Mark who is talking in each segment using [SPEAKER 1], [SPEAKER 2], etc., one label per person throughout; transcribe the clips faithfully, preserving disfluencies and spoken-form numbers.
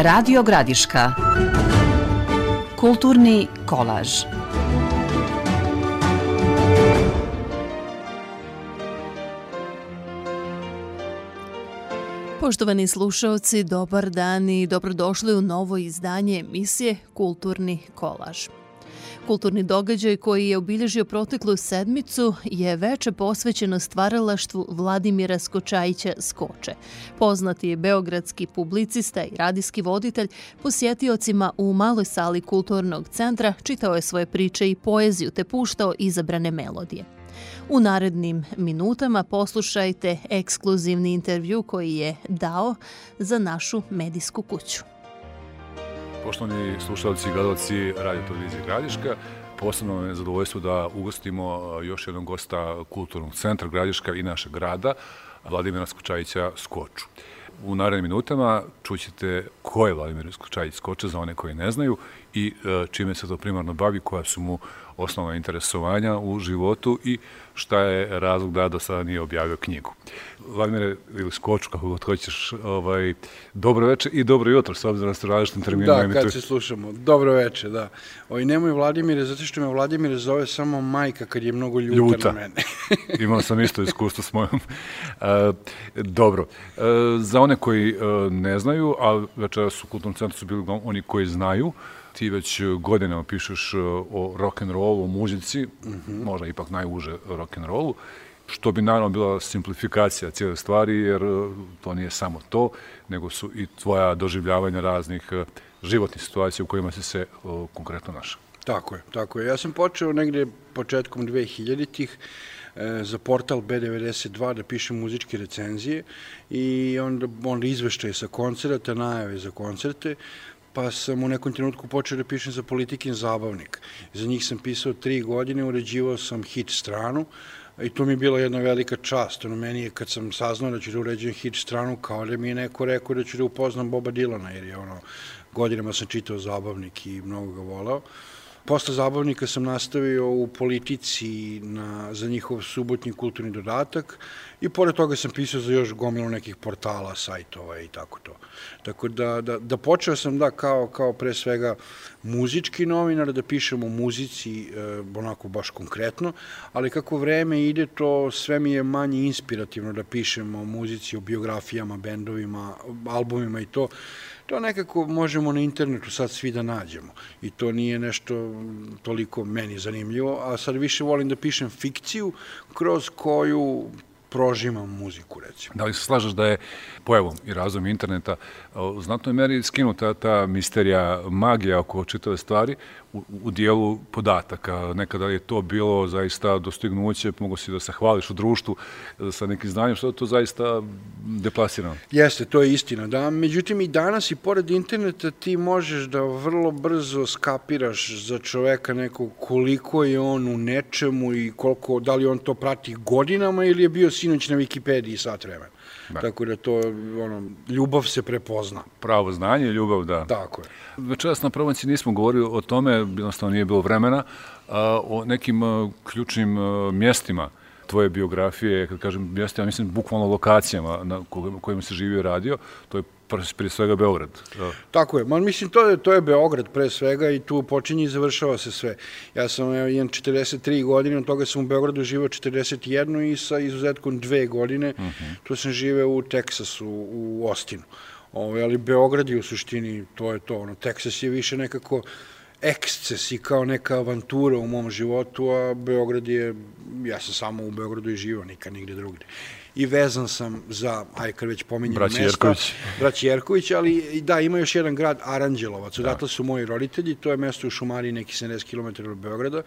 [SPEAKER 1] Radio Gradiška. Kulturni kolaž.
[SPEAKER 2] Poštovani slušaoci, dobar dan i dobrodošli u novo izdanje emisije Kulturni kolaž. Kulturni događaj koji je obilježio proteklu sedmicu je veče posvećeno stvaralaštvu Vladimira Skočajića Skoče. Poznati je beogradski publicista i radijski voditelj, posjetiocima u maloj sali Kulturnog centra čitao je svoje priče i poeziju te puštao izabrane melodije. U narednim minutama poslušajte ekskluzivni intervju koji je dao za našu medijsku kuću.
[SPEAKER 3] Poštovani slušalci i gledalci Radio Televizije Gradiška, posebno je zadovoljstvo da ugostimo još jednog gosta Kulturnog centra Gradiška i našeg grada, Vladimira Skočajića Skoču. U narednim minutama čućete ko je Vladimir Skočajić Skoča za one koji ne znaju i čime se to primarno bavi, koja su mu osnovna interesovanja u životu i šta je razlog da do sada nije objavio knjigu. Vladimire, ili Skoču, kako god hoćeš, ovaj, dobro večer i dobro jutro, s obzirom da ste različitim terminima.
[SPEAKER 4] Da, kad se slušamo. Dobro večer, da. Oj, nemoj Vladimire, zato što me Vladimire zove samo majka kad je mnogo ljuta, ljuta. na mene. Imao sam isto iskustvo s mojom. Uh, dobro. Uh, za one koji uh, ne znaju, a večeras u Kulturnom centru su bili oni koji znaju, ti već godinama pišeš o rock'n'rollu, o muzici, mm-hmm. možda ipak najuže rock'n'rollu, što bi naravno bila simplifikacija cijele stvari, jer to nije samo to, nego su i tvoja doživljavanja raznih životnih situacija u kojima si se o, konkretno našao. Tako je, tako je. Ja sam počeo negde početkom dve hiljaditih e, za portal B devedeset dva da pišem muzičke recenzije i onda, onda izveštaje sa koncerta, najave za koncerte, pa sam u nekom trenutku počeo da pišem za Politikin zabavnik. Za njih sam pisao tri godine, uređivao sam hit stranu i to mi je bila jedna velika čast. Ono, meni je, kad sam saznao da ću da uređujem hit stranu, kao da mi je neko rekao da ću da upoznam Boba Dilana, jer je ono, godinama sam čitao zabavnik i mnogo ga volao. Posle zabavnika sam nastavio u Politici na, za njihov subotnji kulturni dodatak i pored toga sam pisao za još gomilu nekih portala, sajtova i tako to. Tako da, da, da počeo sam da kao, kao pre svega muzički novinar, da pišem o muzici e, onako baš konkretno, ali kako vreme ide to sve mi je manje inspirativno da pišem o muzici, o biografijama, bendovima, albumima i to. To nekako možemo na internetu sad svi da nađemo i to nije nešto toliko meni zanimljivo, a sad više volim da pišem fikciju kroz koju prožimam muziku, recimo.
[SPEAKER 3] Da li se slažeš da je pojavom i razvojem interneta u znatnoj meri skinuta ta misterija, magija oko čitave stvari u, u dijelu podataka? Nekada je to bilo zaista dostignuće, mogo si da se hvališ u društvu sa nekim znanjem, što je to zaista deplasirano?
[SPEAKER 4] Jeste, to je istina, da. Međutim, i danas i pored interneta ti možeš da vrlo brzo skapiraš za čoveka nekog koliko je on u nečemu i koliko, da li on to prati godinama ili je bio sinoć na Wikipediji sat vremena. Da. Tako da to, ono, ljubav se prepozna.
[SPEAKER 3] Pravo znanje i ljubav, da.
[SPEAKER 4] Tako je.
[SPEAKER 3] Večeras na promociji nismo govorili o tome, jednostavno nije bilo vremena, a, o nekim a, ključnim a, mjestima tvoje biografije, kad kažem mjestima, mislim bukvalno lokacijama na kojima se živio i radio, to je prije svega Beograd. Da.
[SPEAKER 4] Tako je, man mislim to je, to je Beograd pre svega i tu počinje i završava se sve. Ja sam evo, imam četrdeset tri godine, od toga sam u Beogradu živeo četrdeset jednu i sa izuzetkom dve godine, uh-huh. tu sam živeo u Teksasu, u Austinu. Ove, ali Beograd je u suštini, to je to, ono, Teksas je više nekako eksces i kao neka avantura u mom životu, a Beograd je, ja sam samo u Beogradu i živeo, nikad nigde drugde. I vezan sam za, aj kad već pominjem
[SPEAKER 3] Braći
[SPEAKER 4] mesta,
[SPEAKER 3] Jerković.
[SPEAKER 4] Braći Jerković, ali da, ima još jedan grad, Aranđelovac, odatle su moji roditelji, to je mesto u Šumariji, neki sedamdeset kilometara od Beograda,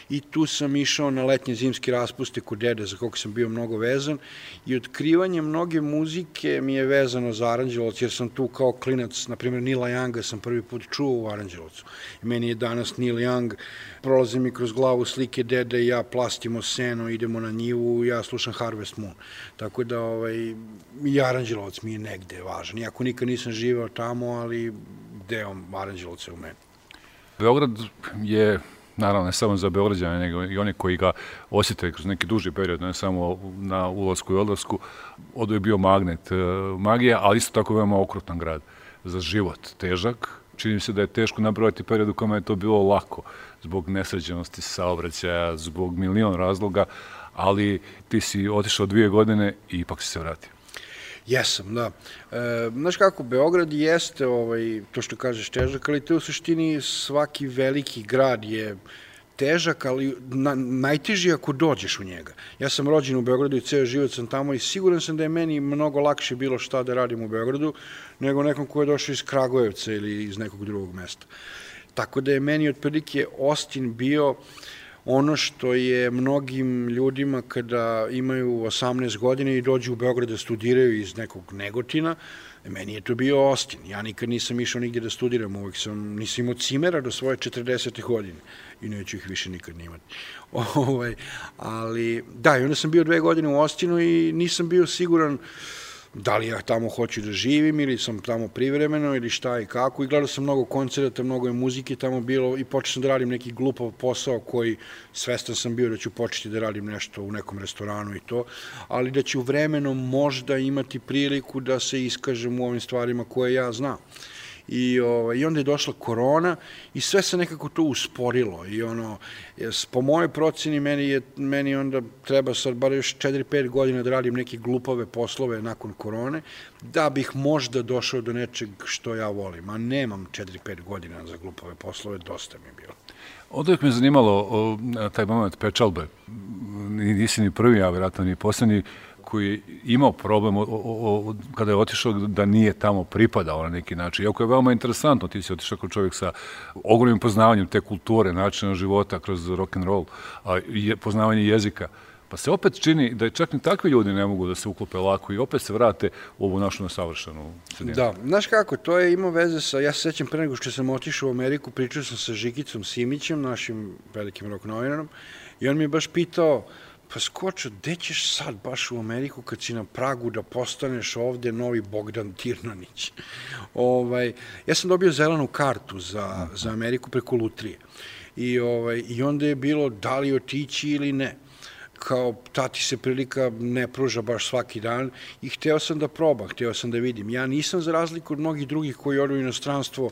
[SPEAKER 4] i tu sam išao na letnje zimske raspuste kod dede, za koga sam bio mnogo vezan, i otkrivanje mnoge muzike mi je vezano za Aranđelovac, jer sam tu kao klinac, na primjer Nila Younga sam prvi put čuo u Aranđelovcu. I meni je danas Neil Young, prolazi mi kroz glavu slike dede, ja plastimo seno, idemo na njivu, ja slušam Harvest Moon. Tako da ovaj, i Aranđelovac mi je negde važan. Iako nikad nisam živeo tamo, ali deo Aranđelovca u meni.
[SPEAKER 3] Beograd je, naravno, ne samo za Beograđane, nego i oni koji ga osjete kroz neki duži period, ne samo na ulasku i odlasku, odo je bio magnet magija, ali isto tako veoma okrutan grad. za život težak. Čini mi se da je teško nabrojati period u kome je to bilo lako, zbog nesređenosti saobraćaja, zbog milion razloga, ali ti si otišao dvije godine i ipak si se vratio.
[SPEAKER 4] Jesam, da. E, znaš kako, Beograd jeste, ovaj, to što kažeš, težak, ali to u suštini svaki veliki grad je težak, ali na, najteži ako dođeš u njega. Ja sam rođen u Beogradu i ceo život sam tamo i siguran sam da je meni mnogo lakše bilo šta da radim u Beogradu nego nekom ko je došao iz Kragujevca ili iz nekog drugog mesta. Tako da je meni otprilike Austin bio ono što je mnogim ljudima kada imaju osamnaest godina i dođu u Beograd da studiraju iz nekog Negotina, meni je to bio Austin. Ja nikad nisam išao nigdje da studiram, uvijek sam, nisam imao cimera do svoje četrdesete godine i neću ih više nikad nimati. Ovaj, ali, da, i onda sam bio dve godine u Austinu i nisam bio siguran da li ja tamo hoću da živim ili sam tamo privremeno ili šta i kako. I gledao sam mnogo koncerta, mnogo je muzike tamo bilo i počeo sam da radim neki glupav posao koji svestan sam bio da ću početi da radim nešto u nekom restoranu i to, ali da ću vremenom možda imati priliku da se iskažem u ovim stvarima koje ja znam. I, ovaj, I onda je došla korona i sve se nekako to usporilo i ono, po mojoj proceni meni, je, meni onda treba sad bar još četiri pet godina da radim neke glupave poslove nakon korone, da bih možda došao do nečeg što ja volim, a nemam četiri pet godina za glupave poslove, dosta mi je bilo.
[SPEAKER 3] Onda uvijek me zanimalo o, taj moment pečalbe, nisi ni prvi, a vjerojatno ni posljednji, koji je imao problem o, o, o, kada je otišao da nije tamo pripadao na neki način. Iako je veoma interesantno, ti si otišao kao čovjek sa ogromnim poznavanjem te kulture, načina života kroz rock'n'roll, a je, poznavanje jezika, pa se opet čini da čak ni takvi ljudi ne mogu da se uklope lako i opet se vrate u ovu našu nesavršenu sredinu.
[SPEAKER 4] Da, znaš kako, to je imao veze sa, ja se sećam pre nego što sam otišao u Ameriku, pričao sam sa Žikicom Simićem, našim velikim rock novinarom, i on mi je baš pitao, pa skočo, gde ćeš sad baš u Ameriku kad si na pragu da postaneš ovde novi Bogdan Tirnanić? Ovaj, ja sam dobio zelenu kartu za, za Ameriku preko Lutrije. I, ovaj, I onda je bilo da li otići ili ne. Kao ta ti se prilika ne pruža baš svaki dan i hteo sam da probam, hteo sam da vidim. Ja nisam za razliku od mnogih drugih koji odu u inostranstvo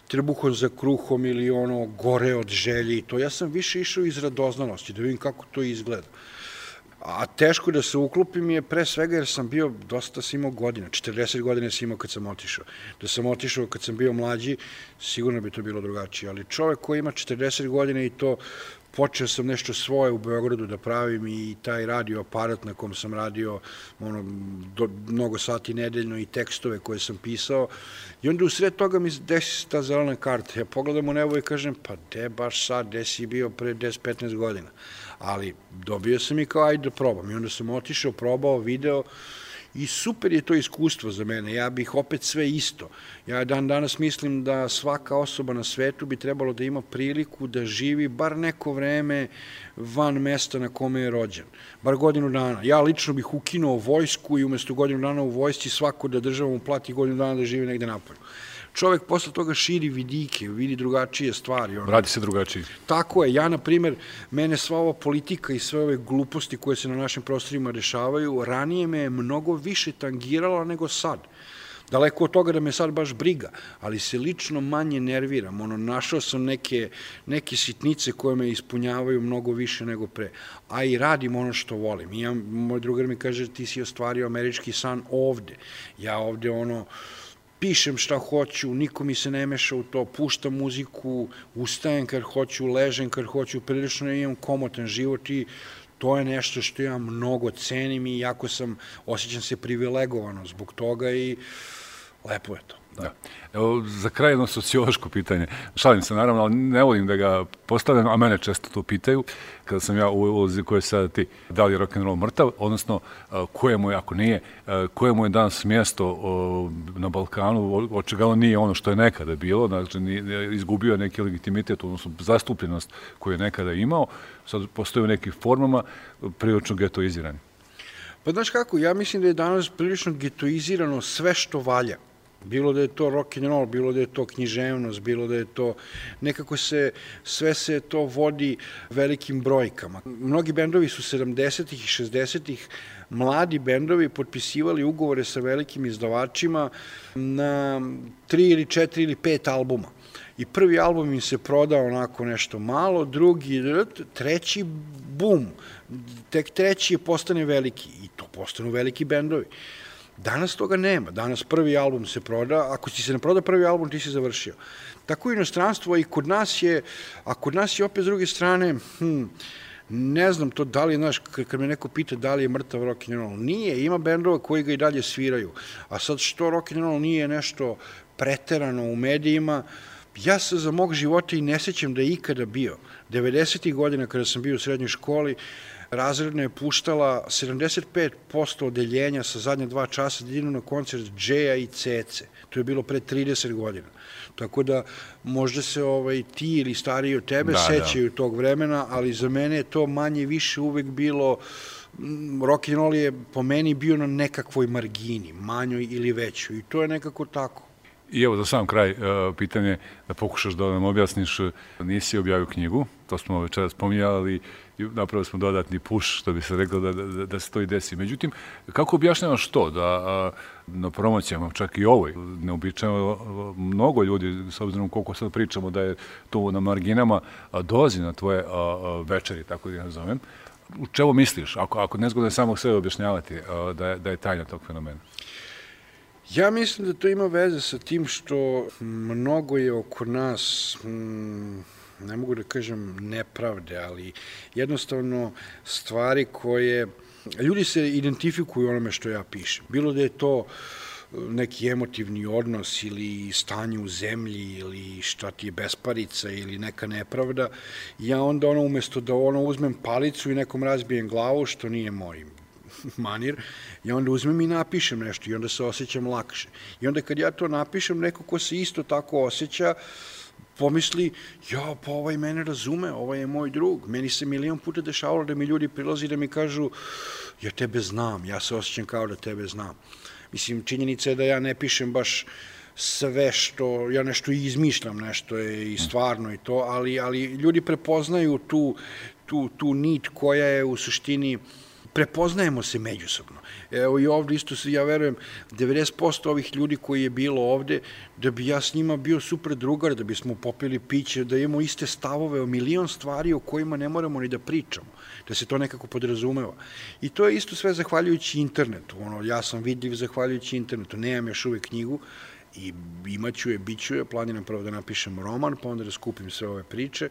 [SPEAKER 4] trbuhom za kruhom ili ono gore od želje i to. Ja sam više išao iz radoznalosti, da vidim kako to izgleda. A teško da se uklopim je pre svega jer sam bio, dosta sam imao godina, četrdeset godina sam imao kad sam otišao. Da sam otišao kad sam bio mlađi, sigurno bi to bilo drugačije. Ali čovek koji ima četrdeset godina i to, počeo sam nešto svoje u Beogradu da pravim i taj radio aparat na kom sam radio ono, do, mnogo sati nedeljno i tekstove koje sam pisao. I onda u sred toga mi desi ta zelena karta. Ja pogledam u nebo i kažem, pa de baš sad, gde si bio pre deset petnaest godina. Ali dobio sam i kao, ajde da probam. I onda sam otišao, probao, video i super je to iskustvo za mene. Ja bih opet sve isto. Ja dan danas mislim da svaka osoba na svetu bi trebalo da ima priliku da živi bar neko vreme van mesta na kome je rođen. Bar godinu dana. Ja lično bih ukinuo vojsku i umesto godinu dana u vojsci svako da država mu plati godinu dana da živi negde napolju. Čovek posle toga širi vidike, vidi drugačije stvari.
[SPEAKER 3] Radi se drugačije.
[SPEAKER 4] Tako je. Ja, na primjer, mene sva ova politika i sve ove gluposti koje se na našim prostorima dešavaju, ranije me je mnogo više tangirala nego sad. Daleko od toga da me sad baš briga, ali se lično manje nerviram. Ono, našao sam neke, neke sitnice koje me ispunjavaju mnogo više nego pre. A i radim ono što volim. I ja, moj drugar mi kaže, ti si ostvario američki san ovde. Ja ovde ono... pišem šta hoću, niko mi se ne meša u to, puštam muziku, ustajem kad hoću, ležem kad hoću, prilično imam komotan život i to je nešto što ja mnogo cenim i jako sam, osjećam se privilegovano zbog toga i lepo je to.
[SPEAKER 3] Da. Evo, za kraj jedno sociološko pitanje. Šalim se, naravno, ali ne volim da ga postavljam, a mene često to pitaju, kada sam ja u ulozi koje sada ti, da li je rock'n'roll mrtav, odnosno, koje mu je, ako nije, koje mu je danas mjesto na Balkanu, od čega on nije ono što je nekada bilo, znači, izgubio je neki legitimitet, odnosno zastupljenost koju je nekada imao, sad postoji u nekih formama prilično getoizirani.
[SPEAKER 4] Pa znaš kako, ja mislim da je danas prilično getoizirano sve što valja. Bilo da je to rock and roll, bilo da je to književnost, bilo da je to... Nekako se, sve se to vodi velikim brojkama. Mnogi bendovi su sedamdesetih i šezdesetih mladi bendovi potpisivali ugovore sa velikim izdavačima na tri ili četiri ili pet albuma. I prvi album im se prodao onako nešto malo, drugi, treći, bum. Tek treći je postane veliki i to postanu veliki bendovi. Danas toga nema. Danas prvi album se proda. Ako ti se ne proda prvi album, ti si završio. Tako inostranstvo i kod nas je, a kod nas je opet s druge strane, hm, ne znam to da li, znaš, kad me neko pita da li je mrtav rock and roll, nije, ima bendova koji ga i dalje sviraju. A sad što rock and roll nije nešto preterano u medijima, ja se za mog života i ne sećam da je ikada bio. devedesetih godina kada sam bio u srednjoj školi, razredna je puštala sedamdeset pet posto odeljenja sa zadnje dva časa da idu na koncert Džeja i Cece. To je bilo pre trideset godina. Tako da možda se ovaj, ti ili stariji od tebe da, sećaju da. tog vremena, ali za mene je to manje više uvek bilo, rock and roll je po meni bio na nekakvoj margini, manjoj ili većoj i to je nekako tako.
[SPEAKER 3] I evo za sam kraj pitanje da pokušaš da nam objasniš, nisi objavio knjigu, to smo večeras spominjali, napravili smo dodatni push, što bi se reklo da, da, da se to i desi. Međutim, kako objašnjavaš to da a, na promocijama, čak i ovoj, neobičajno mnogo ljudi, s obzirom koliko sad pričamo da je to na marginama, a, dolazi na tvoje a, a, večeri, tako da je nazovem. U čemu misliš, ako, ako ne zgodno je samo sve objašnjavati, a, da, je, da je tajna tog fenomena?
[SPEAKER 4] Ja mislim da to ima veze sa tim što mnogo je oko nas, ne mogu da kažem nepravde, ali jednostavno stvari koje... Ljudi se identifikuju onome što ja pišem. Bilo da je to neki emotivni odnos ili stanje u zemlji ili šta ti je besparica ili neka nepravda, ja onda ono umesto da ono uzmem palicu i nekom razbijem glavu, što nije moj manir, ja onda uzmem i napišem nešto i onda se osjećam lakše. I onda kad ja to napišem, neko ko se isto tako osjeća, pomisli, ja, pa ovaj mene razume, ovaj je moj drug. Meni se milion puta dešavalo da mi ljudi prilazi da mi kažu, ja tebe znam, ja se osjećam kao da tebe znam. Mislim, činjenica je da ja ne pišem baš sve što, ja nešto i izmišljam, nešto je i stvarno i to, ali, ali ljudi prepoznaju tu, tu, tu nit koja je u suštini, prepoznajemo se međusobno. Evo i ovde isto, ja verujem, devedeset posto ovih ljudi koji je bilo ovde, da bi ja s njima bio super drugar, da bismo popili piće, da imamo iste stavove o milion stvari o kojima ne moramo ni da pričamo, da se to nekako podrazumeva. I to je isto sve zahvaljujući internetu. Ono, ja sam vidljiv zahvaljujući internetu, nemam još uvek knjigu i imaću je, biću je, planiram prvo da napišem roman, pa onda da skupim sve ove priče.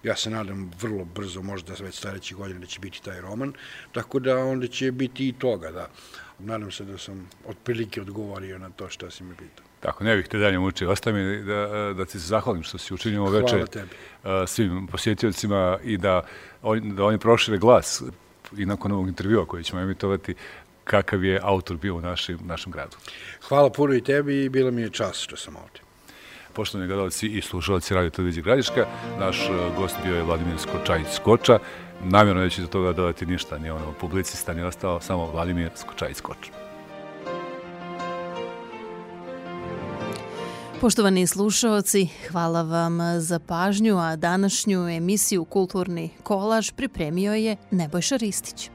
[SPEAKER 4] Ja se nadam vrlo brzo, možda već sledećih godina da će biti taj roman, tako da onda će biti i toga, da. Nadam se da sam otprilike odgovorio na to što si me pitao.
[SPEAKER 3] Tako, ne bih te dalje mučio. Ostaje mi da, da ti se zahvalim što si učinio ovo večer svim posjetiocima i da oni, da oni prošire glas i nakon ovog intervjua koji ćemo emitovati, kakav je autor bio u našim, našem gradu.
[SPEAKER 4] Hvala puno i tebi i bila mi je čast što sam ovdje.
[SPEAKER 3] Poštovani gledalci i slušalci Radio Televizije Gradiška, naš gost bio je Vladimir Skočajić-Skoča. Namjerno neću do toga dodati ništa, ni ono publicista, ni ostao, samo Vladimir Skočajić-Skoča.
[SPEAKER 2] Poštovani slušaoci, hvala vam za pažnju, a današnju emisiju Kulturni kolaž pripremio je Nebojša Ristić.